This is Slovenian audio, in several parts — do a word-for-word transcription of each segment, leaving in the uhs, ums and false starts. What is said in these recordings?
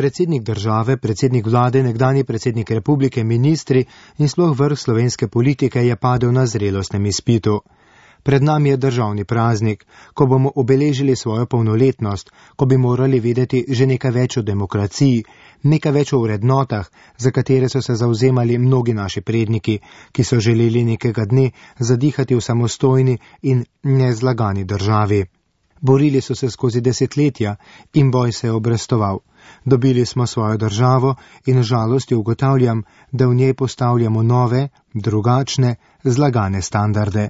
Predsednik države, predsednik vlade, nekdanji predsednik republike, ministri in sploh vrh slovenske politike je padel na zrelostnem izpitu. Pred nami je državni praznik, ko bomo obeležili svojo polnoletnost, ko bi morali vedeti že nekaj več o demokraciji, nekaj več o vrednotah, za katere so se zauzemali mnogi naši predniki, ki so želeli nekega dne zadihati v samostojni in nezlagani državi. Borili so se skozi desetletja in boj se je obrestoval. Dobili smo svojo državo in žalosti ugotavljam, da v njej postavljamo nove, drugačne, zlagane standarde.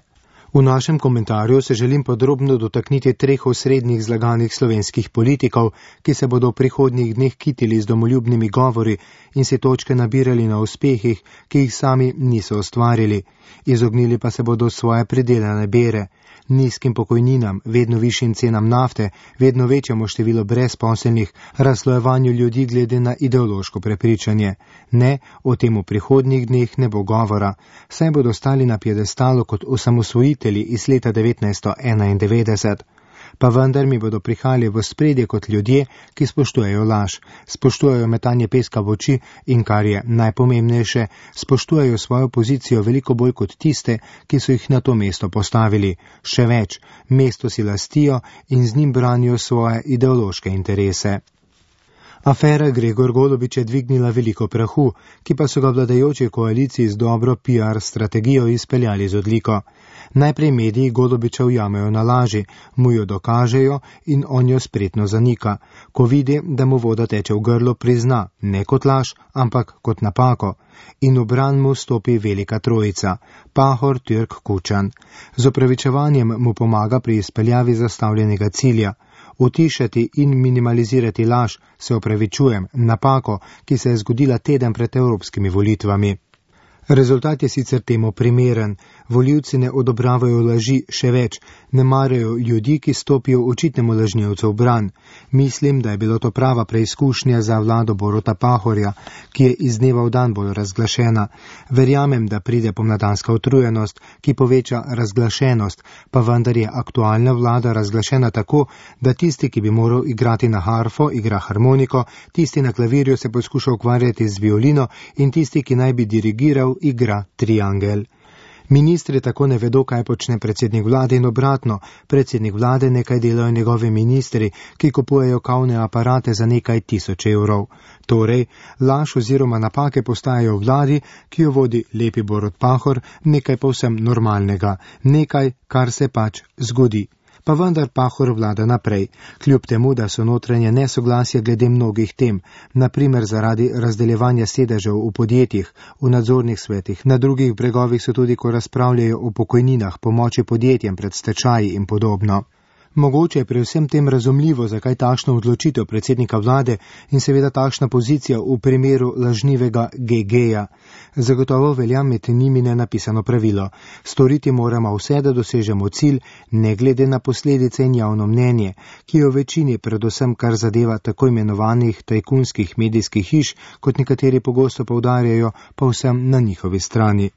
V našem komentarju se želim podrobno dotakniti treh osrednjih zlaganih slovenskih politikov, ki se bodo v prihodnjih dneh kitili z domoljubnimi govori in si točke nabirali na uspehih, ki jih sami niso ustvarili. Izognili pa se bodo svoje pridelane bere, nizkim pokojninam, vedno višjim cenam nafte, vedno večjemu številu brezposelnih, razslojevanju ljudi glede na ideološko prepričanje. Ne, o tem v prihodnjih dneh ne bo govora, saj bodo stali na piedestalu kot osamosvojitelji iz leta devetnajststo enaindevetdeset. Pa vendar mi bodo prihajali v spredje kot ljudje, ki spoštujejo laž, spoštujejo metanje peska v oči in, kar je najpomembnejše, spoštujejo svojo pozicijo veliko bolj kot tiste, ki so jih na to mesto postavili. Še več, mesto si lastijo in z njim branijo svoje ideološke interese. Afera Gregor Golobič je dvignila veliko prahu, ki pa so ga vladajoči koaliciji z dobro P R strategijo izpeljali z odliko. Najprej mediji Golobiča ujamejo na laži, mu jo dokažejo in on jo spretno zanika. Ko vidi, da mu voda teče v grlo, prizna, ne kot laž, ampak kot napako. In v bran mu stopi velika trojica, Pahor, Türk, Kučan. Z opravičevanjem mu pomaga pri izpeljavi zastavljenega cilja. Utišati in minimalizirati laž, se opravičujem, napako, ki se je zgodila teden pred evropskimi volitvami. Rezultat je sicer temu primeren. Volivci ne odobravajo laži, še več, ne marajo ljudi, ki stopijo očitnemu lažnivcu v bran. Mislim, da je bilo to prava preizkušnja za vlado Boruta Pahorja, ki je iz dneva v dan bolj razglašena. Verjamem, da pride pomladanska utrujenost, ki poveča razglašenost, pa vendar je aktualna vlada razglašena tako, da tisti, ki bi moral igrati na harfo, igra harmoniko, tisti na klavirju se poskuša ukvarjati z violino in tisti, ki naj bi dirigiral, igra triangel. Ministri tako ne vedo, kaj počne predsednik vlade in obratno. Predsednik vlade nekaj delajo njegovi ministri, ki kupujejo kavne aparate za nekaj tisoč evrov. Torej, laž oziroma napake postajajo vladi, ki jo vodi lepi Borut Pahor, nekaj povsem normalnega, nekaj, kar se pač zgodi. Pa vendar Pahor vlada naprej, kljub temu, da so notranje nesoglasje glede mnogih tem, naprimer zaradi razdeljevanja sedežev v podjetjih, v nadzornih svetih, na drugih bregovih so tudi, ko razpravljajo o pokojninah, pomoči podjetjem pred stečaji in podobno. Mogoče je pri vsem tem razumljivo, zakaj takšna odločitev predsednika vlade in seveda takšna pozicija v primeru lažnivega G G-ja. Zagotovo velja med njimi nenapisano pravilo. Storiti moramo vse, da dosežemo cilj, ne glede na posledice in javno mnenje, ki je v večini predvsem kar zadeva tako imenovanih tajkunskih medijskih hiš, kot nekateri pogosto poudarjajo, pa vsem na njihovi strani.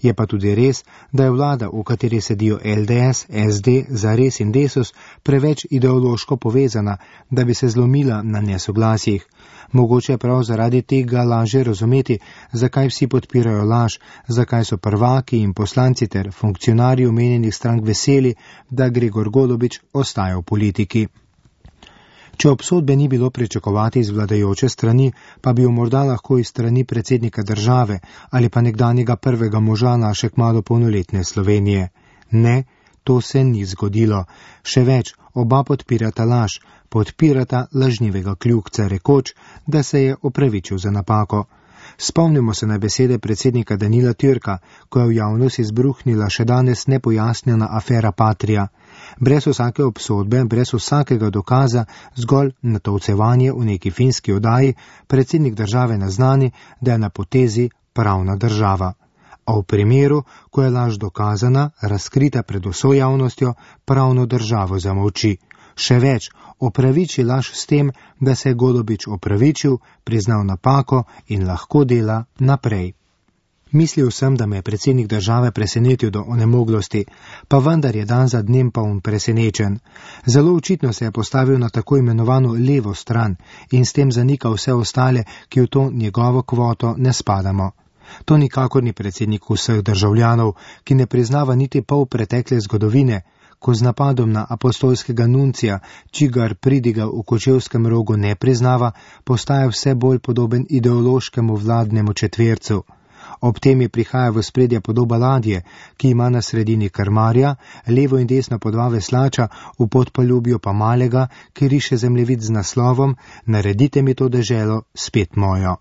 Je pa tudi res, da je vlada, v kateri sedijo L D S, S D, Zares in Desus, preveč ideološko povezana, da bi se zlomila na nesoglasjih. Mogoče je prav zaradi tega laže razumeti, zakaj vsi podpirajo laž, zakaj so prvaki in poslanci ter funkcionarji omenjenih strank veseli, da Gregor Golobič ostaja v politiki. Če obsodbe ni bilo pričakovati iz vladajoče strani, pa bi jo morda lahko iz strani predsednika države ali pa nekdanjega prvega moža naše kmalu polnoletne Slovenije. Ne, to se ni zgodilo. Še več, oba podpirata laž, podpirata lažnivega kljukca, rekoč, da se je opravičil za napako. Spomnimo se na besede predsednika Danila Türka, ko je v javnost izbruhnila še danes nepojasnjena afera Patria. Brez vsake obsodbe, brez vsakega dokaza, zgolj natovcevanje v neki finski oddaji, predsednik države naznani, da je na potezi pravna država. A v primeru, ko je laž dokazana, razkrita pred vso javnostjo, pravno državo zamolči. Še več, opraviči laž s tem, da se je Golobič opravičil, priznal napako in lahko dela naprej. Mislil sem, da me je predsednik države presenetil do onemoglosti, pa vendar je dan za dnem poln presenečen. Zelo očitno se je postavil na tako imenovano levo stran in s tem zanika vse ostale, ki v to njegovo kvoto ne spadamo. To nikakor ni predsednik vseh državljanov, ki ne priznava niti pol pretekle zgodovine, ko z napadom na apostolskega nuncija, čigar pridiga v Kočevskem rogu ne priznava, postaja vse bolj podoben ideološkemu vladnemu četvercu. Ob tem je prihaja v spredje podoba ladje, ki ima na sredini krmarja, levo in desno po dva veslača, v podpaljubju pa malega, ki riše zemljevid z naslovom Naredite mi to deželo spet mojo.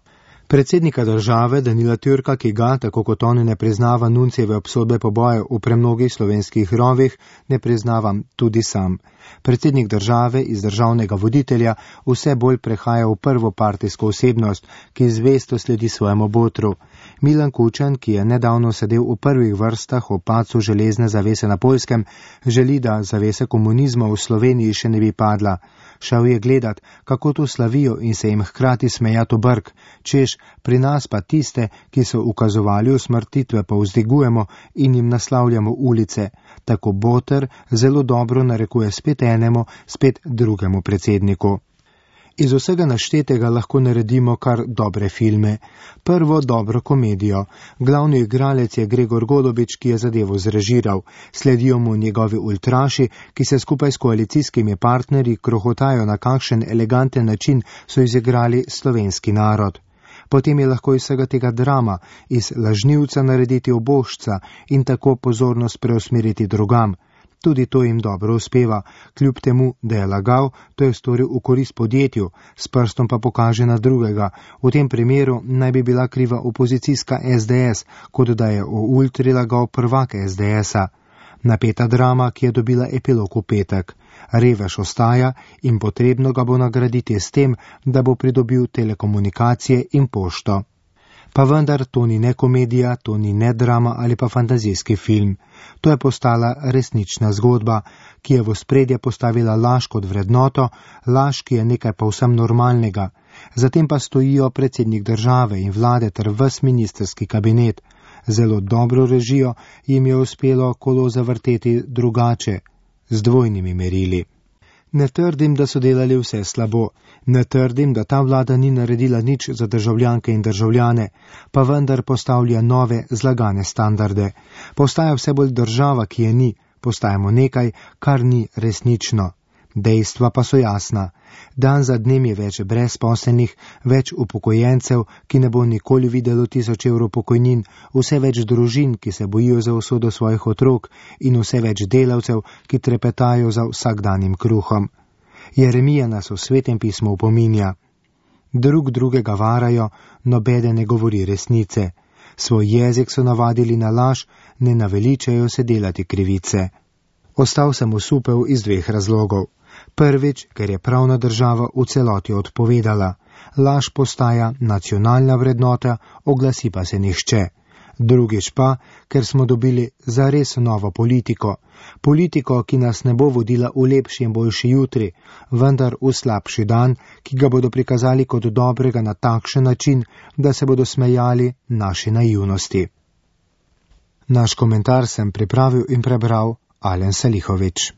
Predsednika države Danila Türka, ki ga, tako kot on, ne priznava nuncijeve obsodbe pobojev v premnogih slovenskih rovih, ne priznavam tudi sam. Predsednik države iz državnega voditelja vse bolj prehaja v prvopartijsko osebnost, ki zvesto sledi svojemu botru. Milan Kučan, ki je nedavno sedel v prvih vrstah o padcu železne zavese na Poljskem, želi, da zavese komunizma v Sloveniji še ne bi padla. Šel je gledat, kako to slavijo in se jim hkrati smejati v brk, češ pri nas pa tiste, ki so ukazovali usmrtitve, pa vzdigujemo in jim naslavljamo ulice. Tako Boter zelo dobro narekuje spet enemu, spet drugemu predsedniku. Iz vsega naštetega lahko naredimo kar dobre filme. Prvo dobro komedijo. Glavni igralec je Gregor Golobič, ki je zadevo zrežiral. Sledijo mu njegovi ultraši, ki se skupaj s koalicijskimi partnerji krohotajo, na kakšen eleganten način so izigrali slovenski narod. Potem je lahko iz vsega tega drama, iz lažnivca narediti obožca in tako pozornost preusmeriti drugam. Tudi to jim dobro uspeva, kljub temu, da je lagal, to je storil v korist podjetju, s prstom pa pokaže na drugega. V tem primeru naj bi bila kriva opozicijska es de es, kot da je o ultri lagal prvak es de esa. Napeta drama, ki je dobila epilog v petek. Revež ostaja in potrebno ga bo nagraditi s tem, da bo pridobil telekomunikacije in pošto. Pa vendar to ni ne komedija, to ni ne drama ali pa fantazijski film. To je postala resnična zgodba, ki je v spredje postavila laž kot vrednoto, laž, ki je nekaj povsem normalnega. Zatem pa stojijo predsednik države in vlade ter ves ministerski kabinet. Zelo dobro režijo jim je uspelo kolo zavrteti drugače, z dvojnimi merili. Ne trdim, da so delali vse slabo. Ne trdim, da ta vlada ni naredila nič za državljanke in državljane, pa vendar postavlja nove zlagane standarde. Postaja vse bolj država, ki je ni, postajamo nekaj, kar ni resnično. Dejstva pa so jasna. Dan za dnem je več brezposelnih, več upokojencev, ki ne bo nikoli videlo tisoč evrov pokojnin, vse več družin, ki se bojijo za usodo svojih otrok in vse več delavcev, ki trepetajo za vsakdanjim kruhom. Jeremija nas v Svetem pismu opominja. Drug drugega varajo, nobeden ne govori resnice. Svoj jezik so navadili na laž, ne naveličajo se delati krivice. Ostal sem osupel iz dveh razlogov. Prvič, ker je pravna država v celoti odpovedala. Laž postaja nacionalna vrednota, oglasi pa se nihče. Drugič pa, ker smo dobili zares novo politiko. Politiko, ki nas ne bo vodila v lepši in boljši jutri, vendar v slabši dan, ki ga bodo prikazali kot dobrega na takšen način, da se bodo smejali naši naivnosti. Naš komentar sem pripravil in prebral Alen Salihovič.